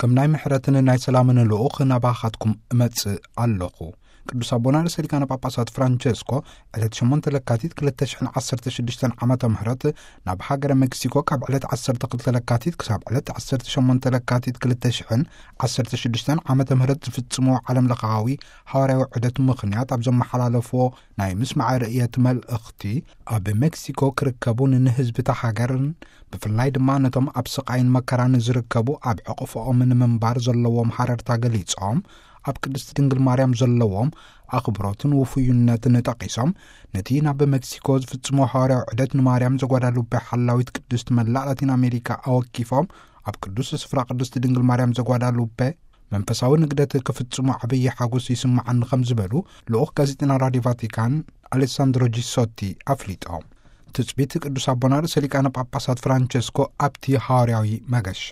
ከም ናይ ምሕረትን ናይ ሰላምን ልኡኽ ናባኻትኩም እመጽእ ኣለኹ። ቅዱስ ኣቦና ርእሰ ሊቃነ ጳጳሳት ፍራንቸስኮ ዕለት ሸሞንተ ለካቲት ክልተ ሽሕን ዓሰርተ ሽዱሽተን ዓመተ ምህረት ናብ ሃገረ ሜክሲኮ ካብ ዕለት ዓሰርተ ክልተ ለካቲት ክሳብ ዕለት ዓሰርተ ሸሞንተ ለካቲት ክልተ ሽሕን ዓሰርተ ሽዱሽተን ዓመተ ምህረት ዝፍጽምዎ ዓለም ለኻዊ ሃዋርያዊ ዑደት ምኽንያት ኣብ ዘመሓላለፍዎ ናይ ምስማዕ ርእየት መልእኽቲ፣ ኣብ ሜክሲኮ ክርከቡን ንህዝቢ እታ ሃገርን ብፍላይ ድማ ነቶም ኣብ ስቓይን መከራን ዝርከቡ ኣብ ሕቕፍኦም ንምንባር ዘለዎም ሃረርታ ገሊጾም፣ ኣብ ቅድስቲ ድንግል ማርያም ዘለዎም ኣኽብሮትን ውፉይነትን ጠቒሶም፣ ነቲ ናብ ሜክሲኮ ዝፍጽሞ ሃዋርያዊ ዑደት ንማርያም ዘጓዳሉቤ ሓላዊት ቅድስቲ መላእ ላቲን ኣሜሪካ ኣወኪፎም፣ ኣብ ቅዱስ ስፍራ ቅድስቲ ድንግል ማርያም ዘጓዳሉቤ መንፈሳዊ ንግደት ክፍጽሙ ዓብዪ ሓጎስ ይስምዓኒ ከም ዝበሉ ልኡኽ ጋዜጠና ራድዮ ቫቲካን ኣሌሳንድሮ ጂሶቲ ኣፍሊጦም። ትጽቢት ቅዱስ ኣቦና ርእሰ ሊቃነ ጳጳሳት ፍራንቸስኮ ኣብቲ ሃዋርያዊ መገሻ።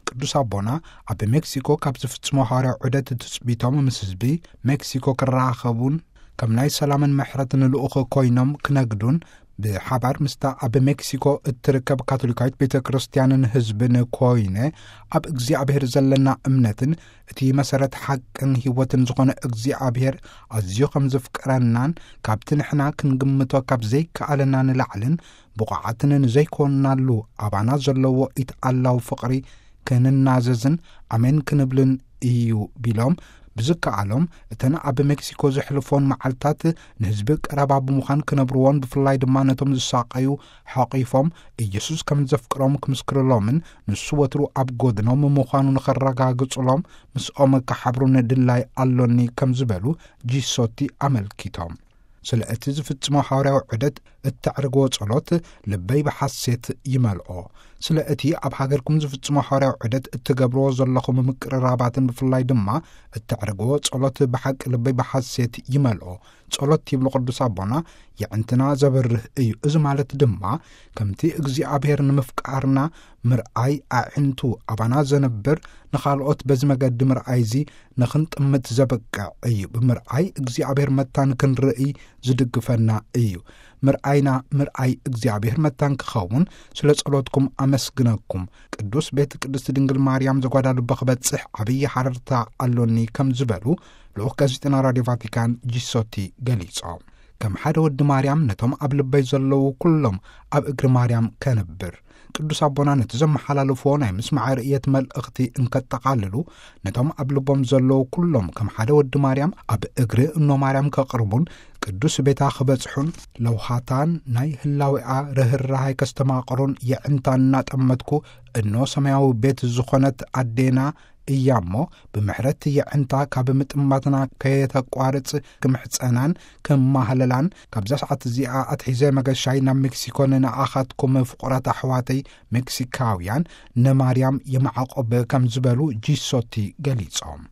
ቅዱስ ኣቦና ኣብ ሜክሲኮ ካብ ዝፍጽሞ ሃዋርያዊ ዑደት ትጽቢቶም ምስ ህዝቢ ሜክሲኮ ክራኸቡን ከም ናይ ሰላምን ምሕረትን ልኡኽ ኮይኖም ክነግዱን ብሓባር ምስታ ኣብ ሜክሲኮ እትርከብ ካቶሊካዊት ቤተ ክርስቲያንን ህዝብን ኮይነ ኣብ እግዚኣብሔር ዘለና እምነትን እቲ መሰረት ሓቅን ህይወትን ዝኾነ እግዚኣብሔር ኣዝዩ ከም ዘፍቅረናን ካብቲ ንሕና ክንግምቶ ካብ ዘይከኣለና ንላዕልን ብቑዓትን ንዘይኮንናሉ ኣባና ዘለዎ ኢትኣላው ፍቕሪ ክንናዘዝን ኣሜን ክንብልን እዩ ቢሎም፣ ብዝከኣሎም እተን ኣብ ሜክሲኮ ዘሕልፎን መዓልታት ንህዝቢ ቀረባ ብምዃን ክነብርዎን ብፍላይ ድማ ነቶም ዝሳቐዩ ሓቒፎም ኢየሱስ ከም ዘፍቅሮም ክምስክርሎምን ንሱ ወትሩ ኣብ ጎድኖም ምዃኑ ንኸረጋግጹሎም ምስኦም ክሓብሩን ድላይ ኣሎኒ ከም ዝበሉ ጂሶቲ ኣመልኪቶም። ስለ እቲ ዝፍጽሞ ሓዋርያዊ ዑደት እተዕርግዎ ጸሎት ልበይ ብሓሴት ይመልኦ። ስለ እቲ ኣብ ሃገርኩም ዝፍጽሞ ሓዋርያዊ ዑደት እትገብርዎ ዘለኹም ምቅርራባትን ብፍላይ ድማ እተዕርግዎ ጸሎት ብሓቂ ልበይ ብሓሴት ይመልኦ። ጸሎት ይብሉ ቅዱስ ኣቦና የዕንትና ዘብርህ እዩ። እዚ ማለት ድማ ከምቲ እግዚኣብሔር ንምፍቃርና ምርኣይ ኣዒንቱ ኣባና ዘንብር ንኻልኦት በዚ መገዲ ምርኣይ እዚ ንኽንጥምት ዘብቅዕ እዩ። ብምርኣይ እግዚኣብሔር መታን ክንርኢ ዝድግፈና እዩ። ምርኣይና ምርኣይ እግዚኣብሔር መታን ክኸውን ስለ ጸሎትኩም ኣመስግነኩም። ቅዱስ ቤት ቅድስቲ ድንግል ማርያም ዘጓዳሉበ ክበጽሕ ዓብዪ ሓረርታ ኣሎኒ ከም ዝበሉ ልኡኽ ጋዜጠና ራድዮ ቫቲካን ጂሶቲ ገሊጾም። ከም ሓደ ወዲ ማርያም ነቶም ኣብ ልበይ ዘለዉ ኩሎም ኣብ እግሪ ማርያም ከንብር። ቅዱስ ኣቦና ነቲ ዘመሓላልፍዎ ናይ ምስማዕ ርእየት መልእኽቲ እንከጠቓልሉ፣ ነቶም ኣብ ልቦም ዘለዉ ኩሎም ከም ሓደ ወዲ ማርያም ኣብ እግሪ እኖ ማርያም ከቕርቡን ቅዱስ ቤታ ክበጽሑን ለውሃታን ናይ ህላዌኣ ርህራሃይ ከስተማቕሩን የዕንታ እናጠመትኩ እኖ ሰማያዊ ቤት ዝኾነት ኣዴና እያ እሞ፣ ብምሕረት የዕንታ ካብ ምጥማትና ከየተቋርጽ ክምሕጸናን ክማህለላን፣ ካብዛ ሰዓት እዚኣ ኣትሒዘ መገሻይ ናብ ሜክሲኮ ንንኣኻትኩም ፍቑራት ኣሕዋተይ ሜክሲካውያን ንማርያም የማዕቆብ ከም ዝበሉ ጂሶቲ ገሊጾም።